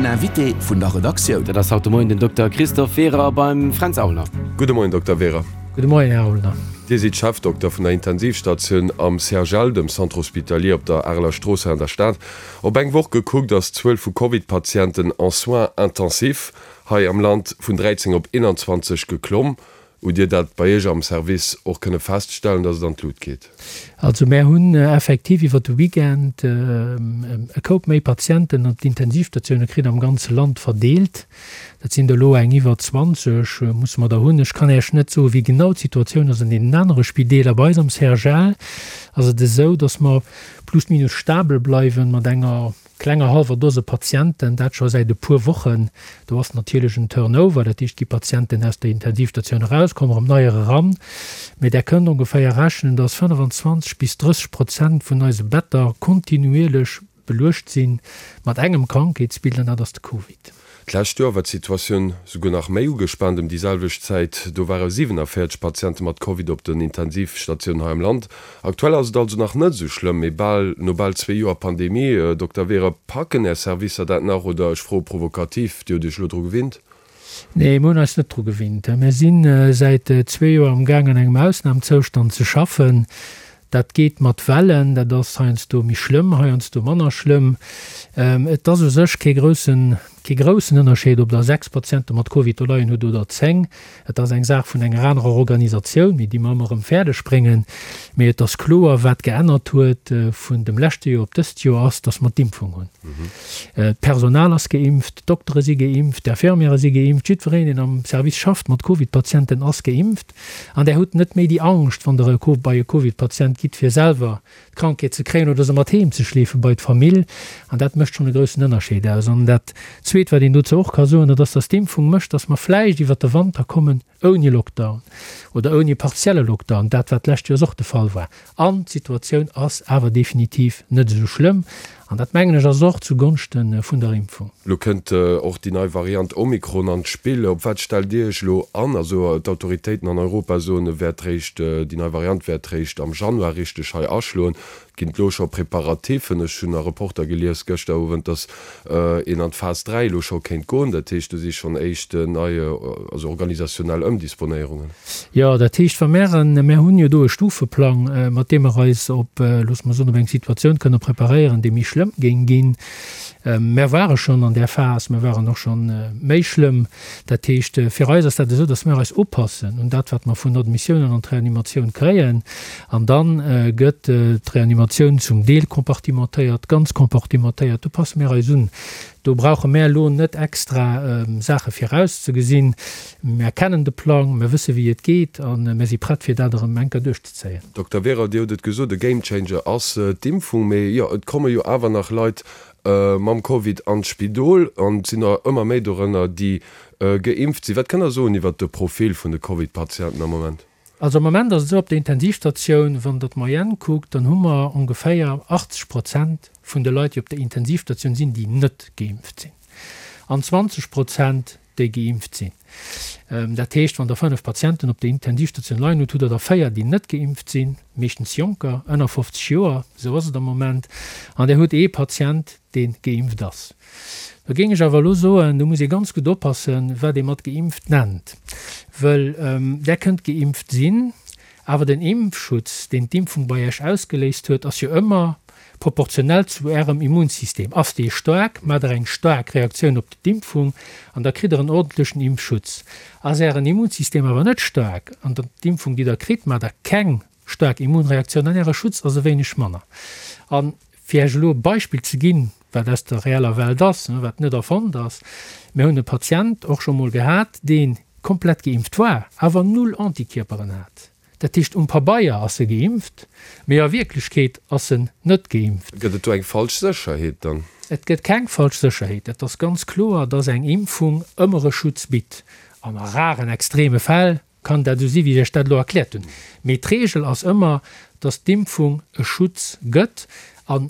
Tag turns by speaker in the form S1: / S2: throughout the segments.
S1: Invité vun der Redaktioun.
S2: Dat ass haut de Moien den Dokter Christophe Werer beim Fränz Aulner.
S3: Gudde Moien, Dokter Werer.
S4: Gudde Moien, Här Aulner.
S3: Dir sidd Chefdokter vun der Intensivstatioun am CHL, dem Centre Hospitalier op der Areler Strooss hei an der Stad. Op eng Woch gekuckt ass d'Zuel vu Covid-Patienten en soins intensifs hei am Land vun 13 op 21 geklomm. Hutt Dir dat bei Iech am Service och kënne feststellen, dass et an d'Lut geet?
S4: Also mär hunn effektiv iwwer de Weekend e Koup méi Patienten op d'Intensivstatioune kritt am ganze Land verdeelt. Dat sinn der elo eng iwwer 20 musse mer der hunn. Ech kann Iech net soen, wéi genau d'Situatioun ass an deenen anere Spideeler. Bei eis am CHL ass et esou, dass mer plus minus stabel bleiwen mat enger Klenger hallwer Dose Patienten, dat scho säit e puer Wochen. Do ass natierlech en Turnover, dat heescht, et gi Patienten aus der Intensivstatioun eraus, kommen erëm neier eran. Mee Der kënnt ongeféier rechnen, dass 25 bis 30 Prozent vun eise Better kontinuierlech beluecht si mat engem Krankheetsbild, an dat ass de Covid.
S3: D'lescht Joer war d'Situatioun souguer nach méi ugespaant. Ëm déi selwecht Zäit, do ware 47 Patiente mat Covid op den Intensivstatiounen hei am Land. Aktuell ass et also nach net esou schlëmm, mee bal no bal zwee Joer Pandemie, Dokter Werer, packen Är Servicer dat nach oder, ech froe provokativ, Dir hutt Iech elo dru gewinnt?
S4: Nee, mir hunn eis net dru gewinnt. Mir si säit zwee Joer am Gaang an engem Ausnamzoustand ze schaffen. Dat geet mat Wellen, dat ass heiansdo méi schlëmm, heiansdo manner schlëmm. Et ass u sech kee groussen, kee groussen Ënnerscheed, ob Der 6 Patiente mat Covid do leien hutt oder 10. Et ass eng Saach vun enger anerer Organisatioun, mee déi mer ëmmer erëm fäerdeg bréngen. Mee et ass kloer, wat geännert huet vun dem leschte Joer op dëst Joer, ass, dass mer d'Impfung hunn. D'Personal ass geimpft, d'Doktere si geimpft, d'Infirmiere si geimpft, jiddwereen, deen am Service schafft mat Covid-Patienten, ass geimpft. An där hutt net méi déi Angscht, wann Der bei e Covid-Patient gitt, fir selwer d'Krankheet ze kréien oder se mat heem ze schleefe bei d'Famill. An dat mécht schonn e groussen Ënnerscheed aus. An dat Zweet, wat een dozou och ka soen, dat ass, dass d'Impfung mécht, dass mer vläicht iwwert de Wanter kommen ouni Lockdown oder ouni partielle Lockdown, dat wat d'lescht Joers och de Fall war. An d'Situatioun ass awer definitiv net esou schlëmm. An dat, mengen ech, ass och zu Gonschte vun der Impfung.
S3: Elo kënnt och déi nei Variant Omikron an d'Spill. Op wat stellt Dir Iech elo an? Also d'Autoritéiten an Europa soen, e wäert réischt, déi nei Variant wäert réischt am Januar richteg hei aschloen. Et ginn elo scho Preparatifen. Ech hunn a Reporter gelies gëschter Owend, datt een an d'Phas 3 elo scho kéint goen. Dat heescht, do si schonn éischt nei, also organisationnell Ëmdisponéierungen.
S4: Jo, dat heescht, wa mär en, mär hunn jo do e Stufeplang, mat deem mer eis op, loosse mer soen, op eng Situatioun kënne preparéieren, déi méi schlëmm géing ginn. Mär ware schonn an där Phas, mär waren och schonn méi schlëmm. Dat heescht, fir eis ass dat esou, datt mär eis upassen un dat, wat mer vun Admissiounen an d'Reanimatioun kréien. An da gëtt d'Reanimatioun zum Deel compartimentéiert, ganz compartimentéiert. Do passe mär eis un. Do brauche mär elo net extra Saache virauszegesinn. Mär kennen de Plang, mär wësse wéi et geet a mär si prett fir dat erëm eng Kéier duerchzezéien.
S3: Dokter Werer, Dir hutt et gesot, e Game Changer ass d'Impfung. Mee jo, et komme jo awer nach Leit mam Covid an d'Spidol an et sinn der ëmmer méi dorënner, déi geimpft sinn. Wat kënnt Der soen iwwert de Profil vun de Covid-Patienten am Moment?
S4: Also am Moment ass et esou, op der Intensivstatioun, wann Der d'Moyenne kuckt, dann hu mer ongeféier 80 Prozent vun de Leit, déi op der Intensivstatioun sinn, déi net geimpft sinn an 20 Prozent, déi geimpft sinn. Dat heescht, wann Der fënnef Patienten op der Intensivstatioun leien hutt, hutt Der der véier, déi net geimpft sinn, meeschtens Jonker, ënner 50 Joer, esou ass et am Moment, an Der hutt ee Patient, dee geimpft ass. Da géing ech awer elo soen, do muss ee ganz gutt oppassen, wat ee mat geimpft nennt, wëll Der kënnt geimpft sinn, awer den Impfschutz, deen d'Impfung bei Iech ausgeléist huet, ass jo ëmmer proportionell zu Ärem Immunsystem. Ass dee staark, maacht Der eng staark Reaktioun op d'Impfung an da kritt Der en ordentlechen Impfschutz. Ass Ären Immunsystem awer net staark an d'Impfung, déi Der kritt, maacht Der keng staark Immunreaktioun an Äre Schutz ass e wéineg manner. A fir Iech elo e Beispill ze ginn, wat aus der reeller Welt ass, wat net erfonnt ass, Mir hunn e Patient och scho mol gehat, dee komplett geimpft war, awer null Antikierperen hat. Dat heescht, um Pabeier ass e geimpft, mee a Wierklechkeet ass en net geimpft.
S3: Gëtt et do eng falsch Sécherheet dann?
S4: Et gëtt keng falsch Sécherheet. Et ass ganz kloer, dass eng Impfung ëmmer e Schutz bitt. An a raren, extreme Fäll kann dat esou si wéi ech Iech dat elo erkläert hunn. Mee d'Reegel ass ëmmer, dass d'Impfung e Schutz gëtt. A.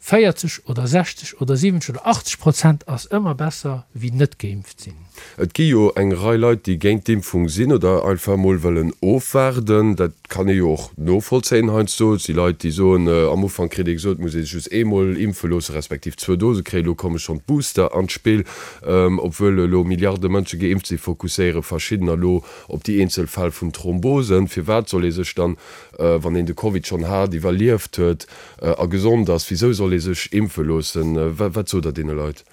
S4: 40 oder 60 oder 70 oder 80 Prozent ass ëmmer besser wéi net geimpft sinn.
S3: Et gi jo eng Rei Leit, déi géint d'Impfung sinn oder einfach emol wëllen ofwaarden. Dat kann ee jo och novollzéien heiansdo. Et si Leit, déi soen, am Ufank kritt ee gesot, et muss ee sech just eemol impfe loossen, respektiv zwou Dose kréien. Elo komme schonn d'Booster an d'Spill. Obwuel elo Milliarde Mënsche geimpft sinn, fokusséiere verschiddener elo op déi eenzel Fäll vun Thrombosen. Firwat soll ee sech dann, wann een de Covid schonn hat, iwwerlieft huet, A gesond ass, wisou soll ee sech impfe loossen? Wat sot Der deene Leit?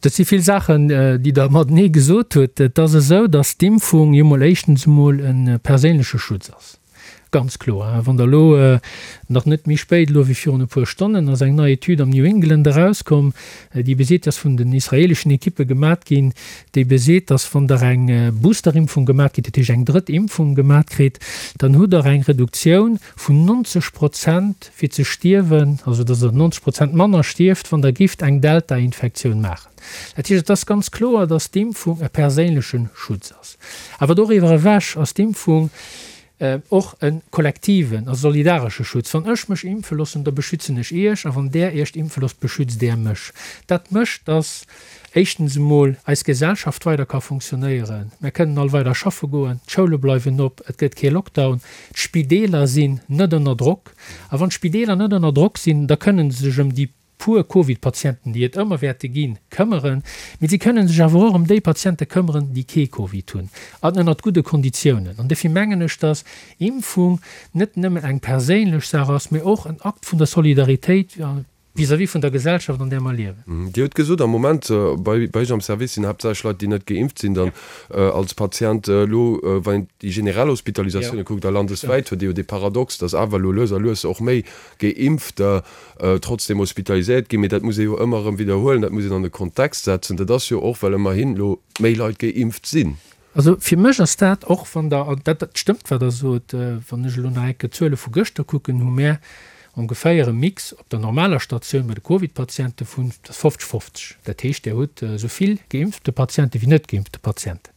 S4: Dat si vill Saachen, déi Der matenee gesot hutt. Et ass esou, datt d'Impfung jo mol éischtens emol e perséinleche Schutz ass. Ganz kloer. Wann Der elo, nach net méi spéit elo wéi virun e puer Stonnen, ass eng nei Etüd am New England erauskomm, déi beseet, déi ass vun den israeleschen Ekippe gemat ginn, déi beseet, datt wann Der eng Boosterimpfung gemat kritt, dat heescht eng drëtt Impfung gemat kritt, dann hutt Der eng Reduktioun vun 90 Prozent fir ze stierwen, also dass der 90 Prozent manner stierft, wann der gifft eng Delta-Infektioun maachen. Dat heescht, et ass ganz kloer, dass d'Impfung e perséinleche Schutz ass. Awer doriwwer ewech ass d'Impfung och e kollektiven a solidaresche Schutz. Wann ech mech impfe loossen, da beschützen ech Iech, a wann Der Iech impfe loosst, beschützt Der mech. Dat mécht, dass éischtens emol eis Gesellschaft weider ka funktionéieren. Mär kënnen all weider schaffe goen, d'Schoule bleiwen op, et gëtt kee Lockdown, d'Spideeler sinn net ënner Drock. A wann d'Spideeler net ënner Drock sinn, da kënnen se sech ëm déi puer Covid-Patienten, déi et ëmmer wäerte ginn, këmmeren. Mee si kënnen sech awer och ëm déi Patiente këmmeren, déi kee Covid hunn, an ënnert gudde Konditiounen. An dofir mengen ech, dass Impfung net nëmmen eng perséinlech Saach ass, mee och en Akt vun der Solidaritéit vis-à-vis vun der Gesellschaft, an där mer liewen.
S3: Dir hutt gesot, am Moment bei Iech am Service sinn haaptsächlech Leit, déi net geimpft sinn, dann als Patient. Elo, wann een déi generell Hospitalisatioune kuckt a landeswäit, huet ee jo dee Paradox, datt awer elo lues a lues och méi Geimpfter trotzdeem hospitaliséiert ginn. Mee dat muss ee jo ëmmer erëm widderhuelen, dat muss een an e Kontext setzen. Dat ass jo och, well ëmmerhin elo méi Leit geimpft sinn.
S4: Also fir mech ass dat, och wann Der, an dat stëmmt wat Der sot, wann ech elo nach eng Kéier d'Zuele vu gëschter kucken, hu mär ongeféier e Mix op der normaler Statioun bei de Covid-Patiente vun 50, 50. Dat heescht, Der hutt esou vill geimpfte Patiente wéi net geimpfte Patienten,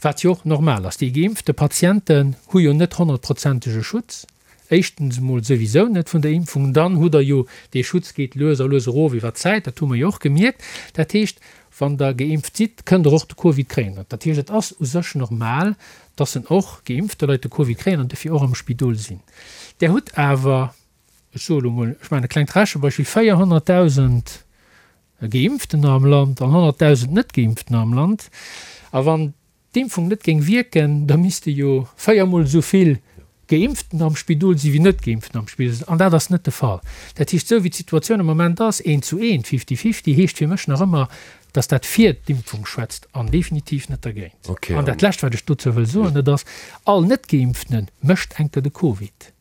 S4: wat jo och normal ass. Déi geimpfte Patienten hu jo net honnertprozentege Schutz, Éischtens emol souwisou net vun der Impfung. Dann hutt Der jo, dee Schutz geet lues a lues erof iwwer d'Zäit, dat hu mer jo och gemierkt. Dat heescht, wann Der geimpft sidd, kënnt Der och de Covid kréien. Dat heescht, et ass u sech normal, dass en och geimpfte Leit de Covid kréien an dofir och am Spidol sinn. Der hutt awer, ech soe elo emol, ech maachen e klengt Rechebeispill, 400.000 Geimpftener am Land an 100.000 Net-Geimpftener am Land. A wann d'Impfung net géing wierken, da misste jo véiermol esou vill Geimpften am Spidol si wéi Net-Geimpften am Spidol sinn. An dat ass net de Fall. Dat heescht, esou wéi d'Situatioun am Moment ass, eent zu eent, fifty-fifty, heescht fir mech nach ëmmer, dass dat fir d'Impfung schwätzt an definitiv net dergéint. An dat Lescht, wat ech dozou wëll soen, dat ass, All Net-Geimpftene mécht enker de Covid.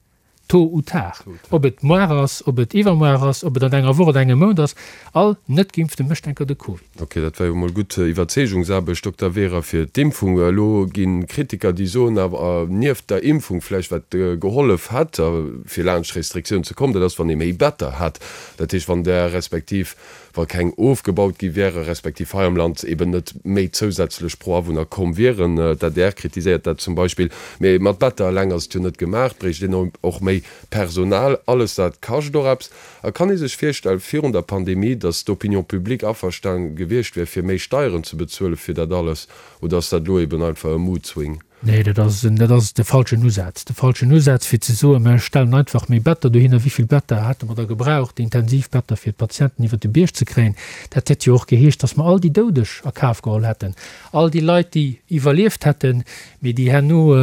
S4: Tôt ou tard, ob et moar ass, ob et iwwermoar ass, ob et an enger Woch oder engem Mount ass, all Net-Geimpfte mécht enker de Covid.
S3: Ok, dat war jo mol gutt Iwwerzeegungsaarbecht, Dokter Wehrer, fir d'Impfung. Elo gi Kritiker, déi soen awer, nieft der Impfung vläicht wat gehollef hätt, fir laanscht Restriktiounen ze kommen, dat ass, wann ee méi Better hätt. Dat heescht, wann där respektiv wa keng ofgebaut gi wäre respektiv hei am Land eben net méi zousätzlech pro Awunner komm wieren. D'adr kritiséiert dat zum Beispill. Mee mat Better eleng ass et jo net gemaach, et bréicht een och méi Personal. Alles dat kascht och eppes. A kann ee sech virstellen, virun der Pandemie, datt d'Opinion publique averstan gewiescht wär, fir méi Steieren ze bezuelen fir dat alles? Oder ass dat elo eben einfach e Mood-Swing?
S4: Nee, dat ass, dat ass de falschen Usaz. De falschen Usaz, fir ze soen, mer stellen einfach méi Better dohinner. Wéi vill Better hätte mer da gebraucht, Intensivbetter, fir d'Patienten iwwert de Bierg ze kréien? Dat hätt jo och geheescht, datt mer all déi Doudeg a Kaf geholl hätten, all déi Leit, déi iwwerlieft hätten, mee déi herno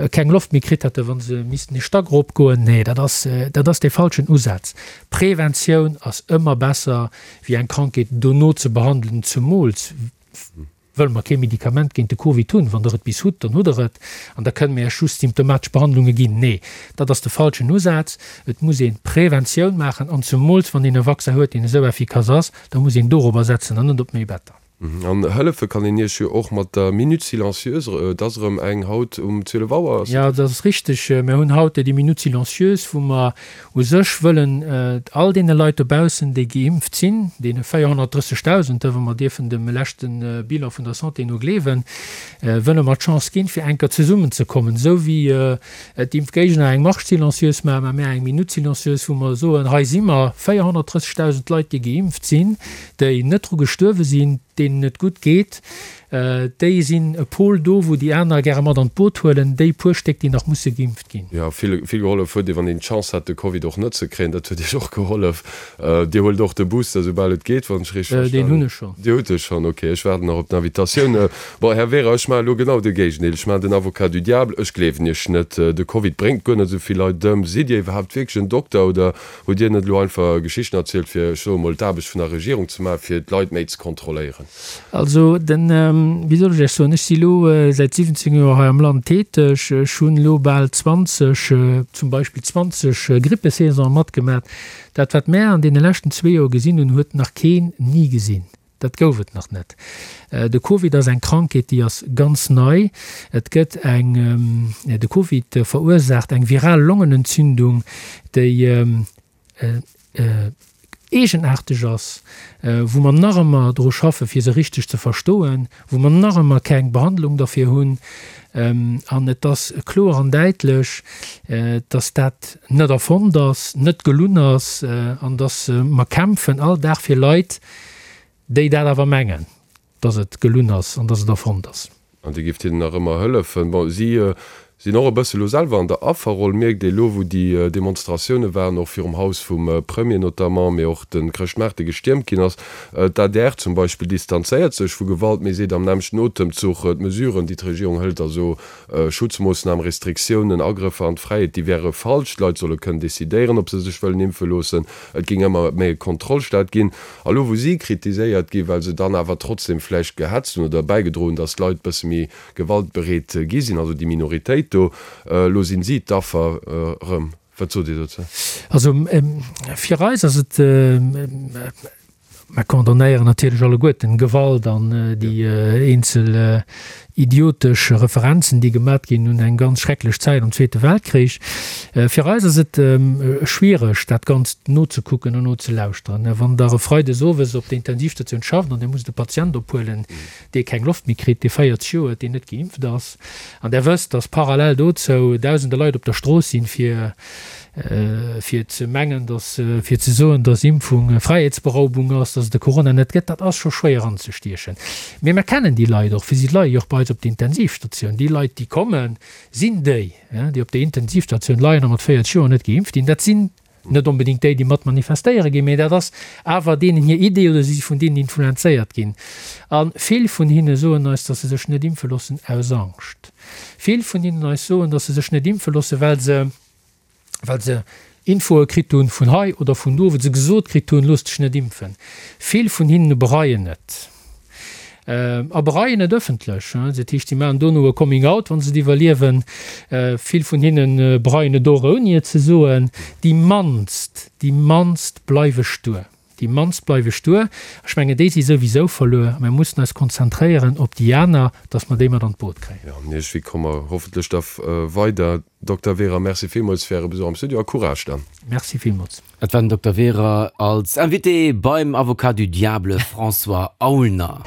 S4: keng Loft méi kritt hätten, wa se missten ee Stack eropgoen. Nee, dat ass, dat ass dee falschen Usaz. Preventioun ass ëmmer besser, wéi eng Krankheet dono ze behandelen, zemools wëll mer kee Medikament géint de Covid hunn, wann Der et bis hutt, dann hutt Der et an da kënne mir Iech just symptomatesch Behandlunge ginn. Nee, dat ass de falschen Usaz. Et muss ee Preventioun maachen an zemools wann een e Vaccin huet, deen esou effikass ass, da muss een dorobber setzen an net op méi Better.
S3: An hëllefe kann een Iech jo och mat der Minute silencieuse. Et ass erëm eng haut um 12 Auer.
S4: Jo, dat ass richteg. Mir hunn haut déi Minute silencieuse, wou mer u sech wëllen all deene Leit dobaussen, déi geimpft sinn, deene 430.000, wa mer dierfen dem leschte Bilan vun der Santé no gleewen, wëlle mer d'Chance ginn, fir eng Kéier zesummenzekommen, esou wéi d'Impfgéigner eng Marche silencieuse maachen, maache mir eng Minute silencieuse, wou mer soen, hei si mer, 430.000 Leit, déi geimpft sinn, déi net dru gestuerwe sinn, deenen et gutt geet, déi sinn e Pol do, wou déi aner gäre mat an d'Boot huelen, déi puer Stéck, déi nach musse geimpft ginn.
S3: Jo, vill, vill gehollef huet ee, wann een d'Chance hat, de Covid och net ze kréien. Dat huet Iech och gehollef. Dir huelt och de Booster, soubal et geet, wann ech richteg verstanen
S4: hunn. Deen hunn ech schonn.
S3: Dir hutt e schonn, ok. Ech waarden nach op d'Invitatioun. Bon, Här Wehrer, ech maachen elo genau de Géigendeel. Ech maachen den Avocat du diable. Ech gleewen Iech net. De Covid bréngt guer net esou vill Leit ëm. Sidd Dir iwwerhaapt wierklech en Dokter oder hutt Dir net elo einfach Geschichten erzielt, fir, ech soe mol, d'Aarbecht vun der Regierung ze maachen, fir d'Leit méi ze kontrolléieren?
S4: Also, den, wéi soll ech Iech soen, ech si elo säit 17 Joer hei am Land täteg. Ech hunn elo bal 20, zum Beispill 20 Grippesaisone matgemat. Dat, wat mär an deene leschten zwee Joer gesinn hunn, huet nach keen ni gesinn. Dat gouf et nach net. De Covid ass eng Krankheet, déi ass ganz nei. Et gëtt eng, de Covid verursaacht eng viral Longenentzündung, déi eegenaarteg ass, wou mer nach ëmmer dru schaffen, fir se richteg ze verstoen, wou mer nach ëmmer keng Behandlung derfir hunn. An et ass kloer an däitlech, dass dat net erfonnt ass, net gelunn ass an dass mer kämpfen all Dag fir Leit, Déi dat awer mengen, dass et gelunn ass an dass et erfonnt ass.
S3: An Dir gift hinnen nach ëmmer hëllefen. Bon, si sinn och e bësse lo selwer an der Afferroll, mierkt ee lo, wou déi Demonstratioune waren, och virum Haus vum Premier notamment, mee och de Chrëschtmaart, dee gestiermt ginn ass. D'adr zum Beispill distanzéiert sech vu Gewalt, mee seet am nämmlechten Otemzuch, d'Mesuren, déi d'Regierung hëlt, also Schutzmoossnamen, Restriktiounen, Agrëffer an d'Fräiheet, déi wäre falsch. D'Leit solle kënnen decidéieren, ob se sech wëllen impfe loossen. Et géing ëmmer méi e Kontrollstaat ginn. A lo wou si kritiséiert ginn, well se dann awer trotzdem vläicht gehetzt hunn oder bäigedroen hunn, datt d'Leit bësse méi gewaltbereet gi sinn, also déi Minoritéit do, elo sinn si d'Affer erëm. Wat sot Dir dozou?
S4: Also fir eis ass et, mer condamnéieren natierlech alleguerten Gewalt an déi eenzel idiotesch Referenzen, déi gemat ginn un eng ganz schrecklech Zäit am Zweete Weltkrich. Fir eis ass et schwiereg, dat Ganzt nozekucken an nozelauschteren. Wann Der e Freides owes op der Intensivstatioun schafft an Dir musst e Patient ophuelen, dee keng Loft méi kritt, dee 40 Joer huet, deen net geimpft ass, an Der wësst, dass parallel dozou Dausende Leit op der Strooss sinn, fir fir ze mengen, dass, fir ze soen, dass Impfung Fräiheetsberaubung ass, dass et de Corona net gëtt, dat ass scho schwéier anzestiechen. Mee mer kennen déi Leit och, fir si leie jo och bei eis op der Intensivstatioun. Déi Leit, déi kommen, sinn déi, déi op der Intensivstatioun leien a mat 40 Joer net geimpft ginn. Dat sinn net onbedéngt déi, déi mat manifestéiere ginn, mee dat ass awer deenen hir Idee oder si si vun deenen influenzéiert ginn. A vill vun hinne soen eis, dass se sech net impfe loossen aus Angscht. Vill vun hinnen eis soen, dass se sech net impfe loossen, well se, well se Infoe kritt hunn vun hei oder vun do, wou se gesot kritt hunn, looss dech net impfen. Vill vun hinnen bereien et. A bereien et ëffentlech. Dat heescht, si maachen dono e Coming out, wa se et iwwerliewen. Vill vun hinne bereien et och, ouni et ze soen. Déi mannst, déi mannst bleiwe stuer. Déi mannst bleiwe stuer. Ech mengen, déi si souwisou verluer. Mir mussen eis konzentréieren op déi aner, dass mer déi mat an d'Boot kréien.
S3: Jo, an iergendwéi komme mer hoffentlech da weider. Dokter Wehrer, Merci villmools fir Äre Besuch am Studio a Courage dann.
S4: Merci villmools.
S2: Dat war den Dokter Wehrer als Invité beim Avocat du Diable François Aulner.